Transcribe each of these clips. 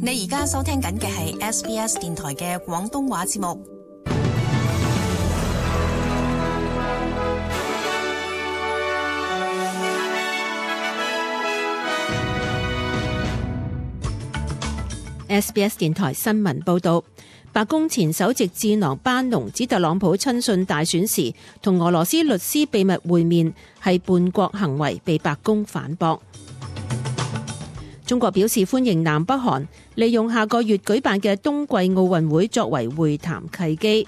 你而家收聽緊嘅係 SBS 電台嘅廣東話節目。SBS 電台新聞報道，白宮前首席智囊班農指特朗普親信大選時同俄羅斯律師秘密會面係叛國行為，被白宮反駁。中國表示歡迎南北韓利用下個月舉辦嘅冬季奧運會作為會談契機。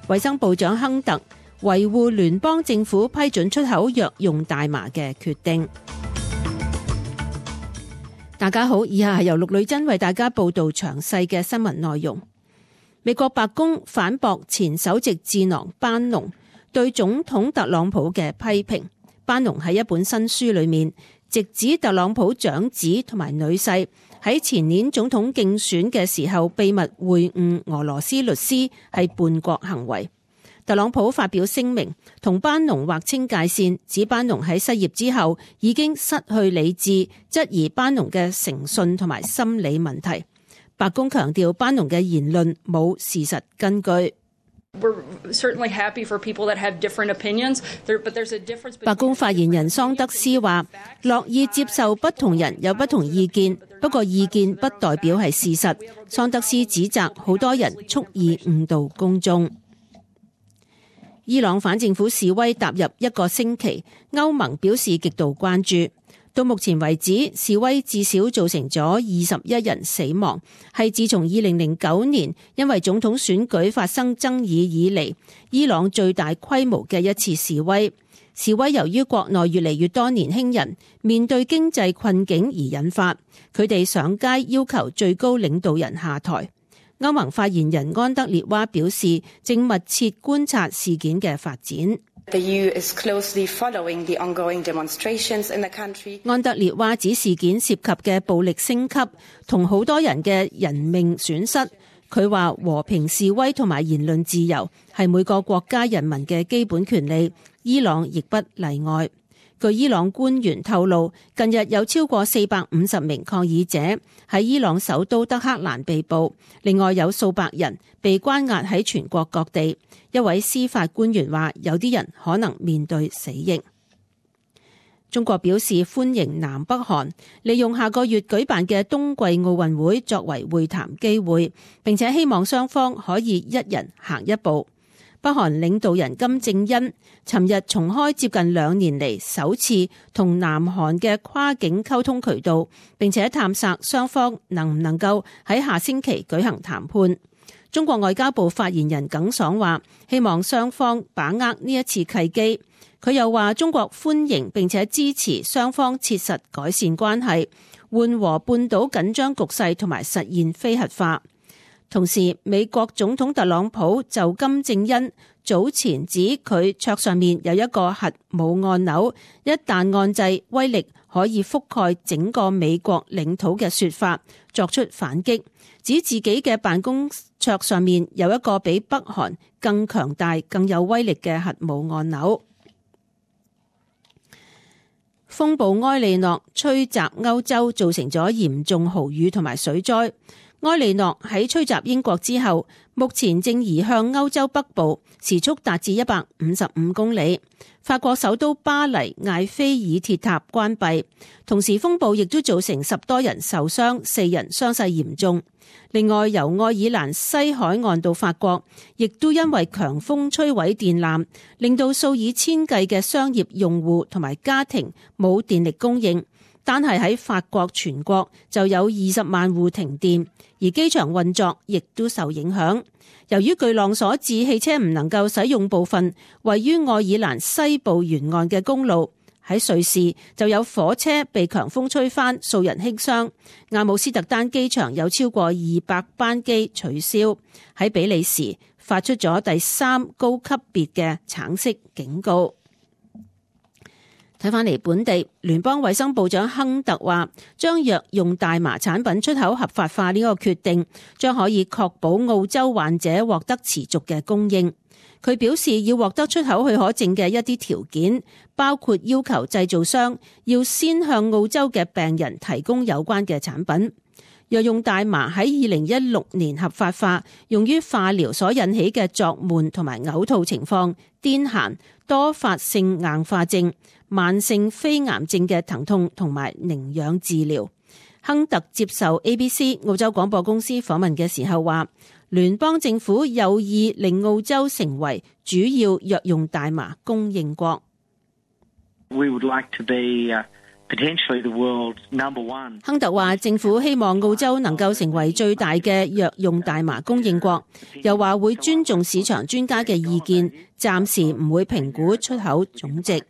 衛生部長亨特維護聯邦政府批准出口藥用大麻嘅決定。大家好，以下係由陸女真為大家報道詳細嘅新聞內容。美國白宮反駁前首席智囊班農對總統特朗普嘅批評。班農喺一本新書裏面直指特朗普長子同埋女婿喺前年總統競選嘅時候秘密會晤俄羅斯律師係叛國行為。特朗普發表聲明同班農劃清界線，指班農喺失業之後已經失去理智，質疑班農嘅誠信同埋心理問題。白宮強調班農嘅言論冇事實根據。白宮發言人桑德斯話，樂意接受不同人有不同意見，不過意見不代表係事實。桑德斯指責好多人蓄意誤導公眾。伊朗反政府示威踏入一個星期，歐盟表示極度關注。到目前為止，示威至少造成咗21人死亡，係自從2009年因為總統選舉發生爭議以嚟，伊朗最大規模嘅一次示威。示威由於國內越嚟越多年輕人面對經濟困境而引發，佢哋上街要求最高領導人下台。歐盟發言人安德烈娃表示，正密切觀察事件嘅發展。安德烈娃指事件涉及嘅暴力升級同好多人嘅人命損失。佢話和平示威同埋言論自由係每個國家人民嘅基本權利，伊朗亦不例外。據伊朗官員透露，近日有超過450名抗議者喺伊朗首都德黑蘭被捕，另外有數百人被關押喺全國各地。一位司法官員話，有啲人可能面對死刑。中國表示歡迎南北韓利用下個月舉辦嘅冬季奧運會作為會談機會，並且希望雙方可以一人行一步。北韓領導人金正恩尋日重開接近2年嚟首次同南韓嘅跨境溝通渠道，並且探索雙方能唔能夠喺下星期舉行談判。中國外交部發言人耿爽話，希望雙方把握呢一次契機。佢又話，中國歡迎並且支持雙方切實改善關係，緩和半島緊張局勢同埋實現非核化。同時，美國總統特朗普就金正恩早前指佢桌上面有一個核武按鈕，一旦按掣，威力可以覆蓋整個美國領土嘅說法作出反擊，指自己嘅辦公桌上面有一個比北韓更強大、更有威力嘅核武按鈕。風暴埃利諾吹襲歐洲，造成咗嚴重豪雨同埋水災。埃利諾喺吹襲英國之後，目前正移向歐洲北部，時速達至155公里。法國首都巴黎艾菲爾鐵塔關閉，同時風暴亦都造成10多人受傷，4人傷勢嚴重。另外，由愛爾蘭西海岸到法國，亦都因為強風摧毀電纜，令到數以千計嘅商業用戶同埋家庭冇電力供應。單係喺法國全國就有20萬戶停電，而機場運作亦都受影響。由於巨浪所致，汽車唔能夠使用部分位於愛爾蘭西部沿岸嘅公路。喺瑞士就有火車被強風吹翻，數人輕傷。阿姆斯特丹機場有超過200班機取消。喺比利時發出咗第3高級別嘅橙色警告。睇返嚟本地，聯邦衛生部長亨特話，將藥用大麻產品出口合法化呢個決定，將可以確保澳洲患者獲得持續嘅供應。佢表示要獲得出口許可證嘅一啲條件，包括要求製造商要先向澳洲嘅病人提供有關嘅產品。藥用大麻喺2016年合法化，用於化療所引起嘅作悶同埋嘔吐情況、癲癇、多發性硬化症、慢性非癌症嘅疼痛同埋寧養治療。亨特接受 ABC 澳洲廣播公司訪問嘅時候話，聯邦政府有意令澳洲成為主要藥用大麻供應國。We would like to be potentially the world's number one. 亨特話政府希望澳洲能夠成為最大嘅藥用大麻供應國，又話會尊重市場專家嘅意見，暫時唔會評估出口總值。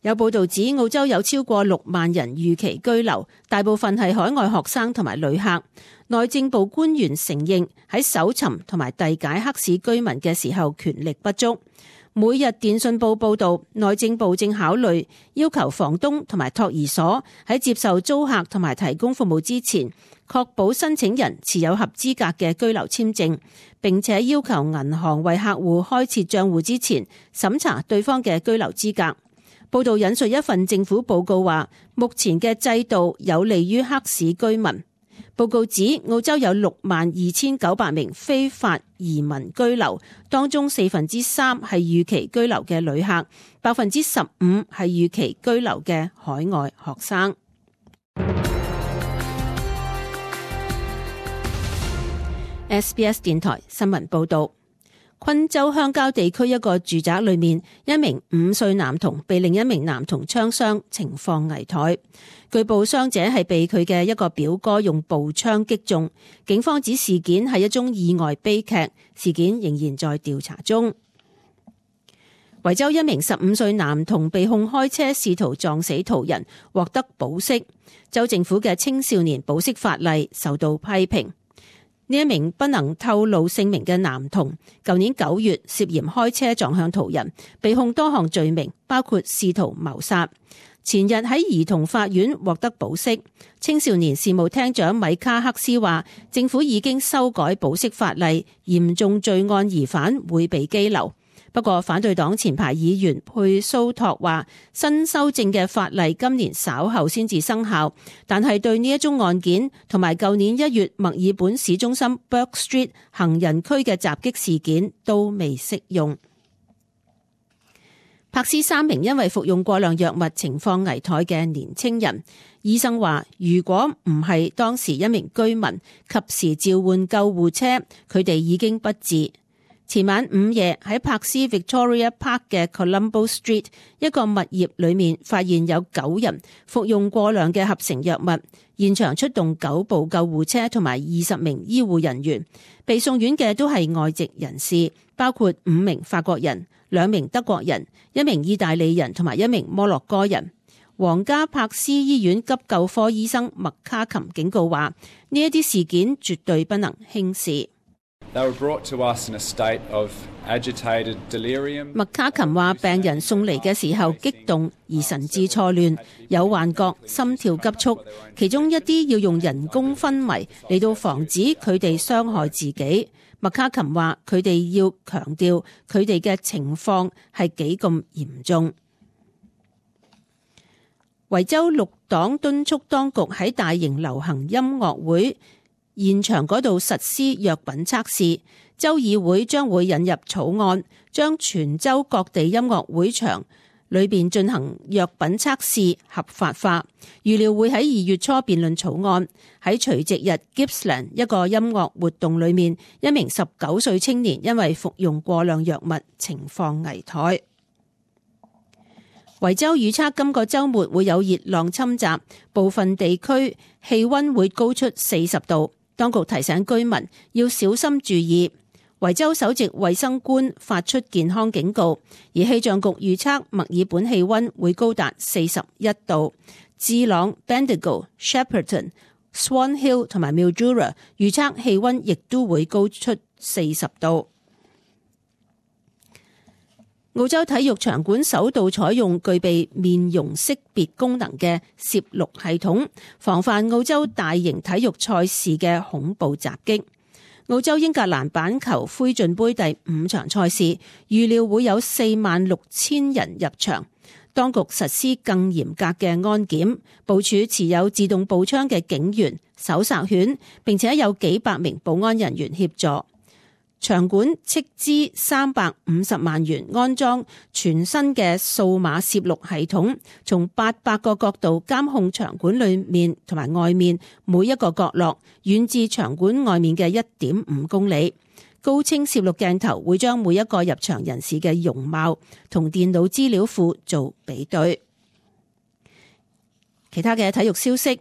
有報道指澳洲有超過6萬人預期居留，大部分係海外學生同埋旅客。內政部官員承認喺搜尋同埋遞解黑市居民嘅時候權力不足。每日電訊報報道，內政部正考慮要求房東同埋托兒所喺接受租客同埋提供服務之前，確保申請人持有合資格嘅居留簽證，並且要求銀行為客戶開設賬戶之前審查對方嘅居留資格。報道引述一份政府報告話，目前嘅制度有利於黑市居民。報告指澳洲有62,900名非法移民居留，當中3%係預期居留嘅旅客，15%係預期居留嘅海外學生。SBS 電台新聞報道。昆州鄉郊地區一個住宅裏面，一名5歲男童被另一名男童槍傷，情況危殆。據報傷者係被佢嘅一個表哥用步槍擊中。警方指事件係一宗意外悲劇，事件仍然在調查中。維州一名15歲男童被控開車試圖撞死途人，獲得保釋。州政府嘅青少年保釋法例受到批評。呢一名不能透露姓名嘅男童，舊年9月涉嫌開車撞向途人，被控多項罪名，包括試圖謀殺。前日喺兒童法院獲得保釋。青少年事務廳長米卡克斯話，政府已經修改保釋法例，嚴重罪案疑犯會被羈留。不過反對黨前排議員佩蘇托話，新修正嘅法例今年稍後先至生效，但係對呢一宗案件同埋舊年1月墨爾本市中心 Bourke Street 行人區嘅襲擊事件都未適用。柏斯3名因為服用過量藥物情況危殆嘅年青人，醫生話如果唔係當時一名居民及時召喚救護車，佢哋已經不治。前晚午夜喺柏斯 Victoria Park 嘅 Colombo Street 一個物業裏面發現有9人服用過量嘅合成藥物，現場出動9部救護車同埋20名醫護人員，被送院嘅都係外籍人士，包括5名法國人、2名德國人、1名意大利人同埋1名摩洛哥人。皇家柏斯醫院急救科醫生麥卡琴警告話，呢一啲事件絕對不能輕視。麥卡琴話，病人送嚟嘅時候激動而神志錯亂，有幻覺、心跳急促，其中一啲要用人工昏迷嚟到防止佢哋傷害自己。麥卡琴話，佢哋要強調佢哋嘅情況係幾咁嚴重。維州綠黨敦促當局喺大型流行音樂會現場嗰度實施藥品測試，州議會將會引入草案，將全州各地音樂會場裏邊進行藥品測試合法化，預料會喺2月初辯論草案。喺除夕日 Gippsland 一個音樂活動裏面，一名19歲青年因為服用過量藥物，情況危殆。維州預測今個週末會有熱浪侵襲，部分地區氣溫會高出40度。當局提醒居民要小心注意。維州首席衛生官發出健康警告，而氣象局預測墨爾本氣溫會高達41度，智朗、Bendigo、Shepparton、Swan Hill 同埋 Mildura 預測氣溫亦都會高出40度。澳洲體育場館首度採用具備面容識別功能嘅攝錄系統，防範澳洲大型體育賽事嘅恐怖襲擊。澳洲英格蘭板球灰進杯第5場賽事，預料會有46,000人入場。當局實施更嚴格嘅安檢，部署持有自動步槍嘅警員、搜查犬，並且有幾百名保安人員協助。場館斥資350萬元安裝全新嘅數碼攝錄系統，從800個角度監控場館裏面同埋外面每一個角落，遠至場館外面嘅1.5公里。高清攝錄鏡頭會將每一個入場人士嘅容貌同電腦資料庫做比對。其他嘅體育消息，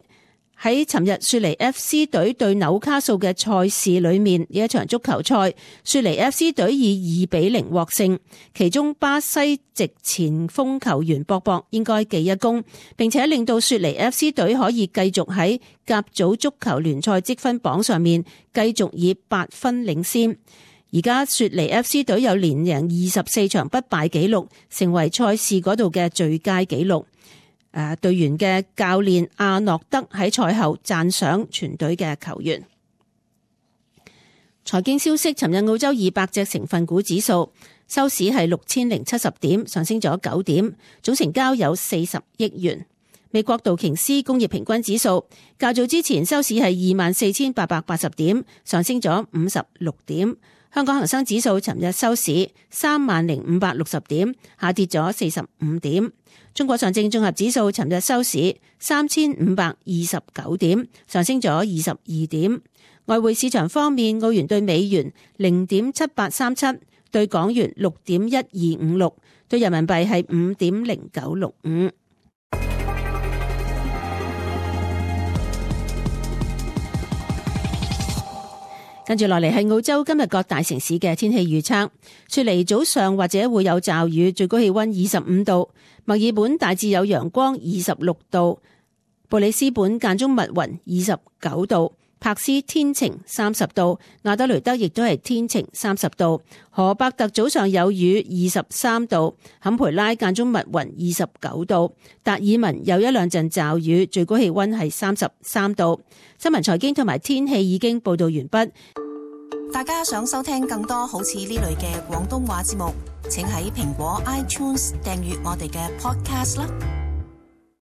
喺尋日雪梨 FC 隊對紐卡素嘅賽事裏面，呢一場足球賽，雪梨 FC 隊以2-0獲勝，其中巴西籍前鋒球員博博應該記一功，並且令到雪梨 FC 隊可以繼續喺甲組足球聯賽積分榜上面繼續以8分領先。而家雪梨 FC 隊有連贏24場不敗紀錄，成為賽事嗰度嘅最佳紀錄。隊員嘅教練阿諾德喺賽後讚賞全隊嘅球員。財經消息，尋日澳洲200隻成分股指數收市係6070點，上升咗9點，總成交有40億元。美國道瓊斯工業平均指數較早之前收市係24,880點，上升咗56點。香港恒生指數尋日收市30,560點，下跌咗45點。中國上證綜合指數尋日收市3,529點，上升咗22點。外匯市場方面，澳元對美元0.7837，對港元6.1256，對人民幣係5.0965。跟住落嚟係澳洲今日各大城市嘅天氣預測。雪梨早上或者會有驟雨，最高氣溫25度；墨爾本大致有陽光26度；布里斯本間中密雲29度；柏斯天晴30度；亞德雷德亦都係天晴30度；荷伯特早上有雨23度；坎培拉間中密雲29度；達爾文有一兩陣驟雨，最高氣溫係33度。新聞財經同埋天氣已經報道完畢。大家想收聽更多好似呢類嘅廣東話節目，請喺蘋果 iTunes 訂閱我哋嘅 Podcast 啦。